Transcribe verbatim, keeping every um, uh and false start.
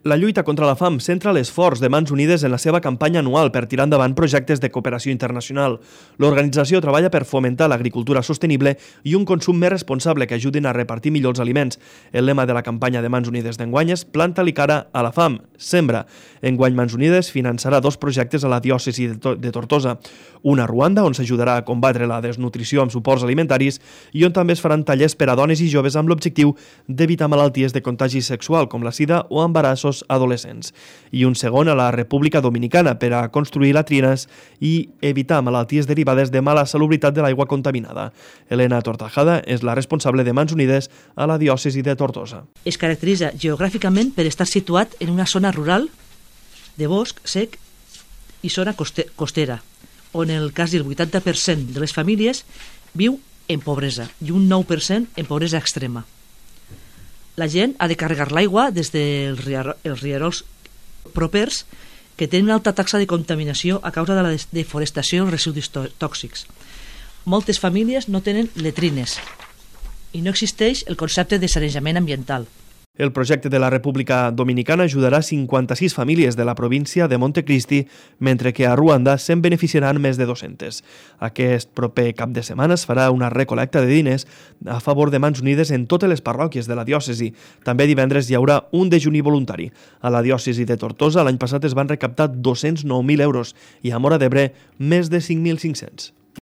La lluita contra la fam centra l'esforç de Mans Unides en la seva campanya anual per tirar endavant projectes de cooperació internacional. L'organització treballa per fomentar l'agricultura sostenible i un consum més responsable que ajudin a repartir millor els aliments. El lema de la campanya de Mans Unides d'enguany és Planta-li cara a la fam, sembra. Enguany Mans Unides finançarà dos projectes a la diòcesi de Tortosa. Un a Ruanda, on s'ajudarà a combatre la desnutrició amb suports alimentaris, i on també es faran tallers per a dones i joves amb l'objectiu d'evitar malalties de contagi sexual com la sida o embarassos adolescents. I un segon a la República Dominicana per a construir latrines i evitar malalties derivades de mala salubritat de l'aigua contaminada. Elena Tortajada és la responsable de Mans Unides a la diòcesi de Tortosa. Es caracteritza geogràficament per estar situat en una zona rural de bosc sec i zona costera, on el quasi el vuitanta per cent de les famílies viu en pobresa i un nou per cent en pobresa extrema. La gent ha de carregar l'aigua des dels rierols propers que tenen una alta taxa de contaminació a causa de la deforestació i els residus tòxics. Moltes famílies no tenen letrines i no existeix el concepte de sanejament ambiental. El projecte de la República Dominicana ajudarà cinquanta-sis famílies de la província de Montecristi, mentre que a Ruanda se'n beneficiaran més de dues-centes. Aquest proper cap de setmana es farà una recolecta de diners a favor de Mans Unides en totes les parròquies de la diòcesi. També divendres hi haurà un dejuni voluntari. A la diòcesi de Tortosa l'any passat es van recaptar dos-cents nou mil euros i a Móra d'Ebre més de cinc mil cinc-cents.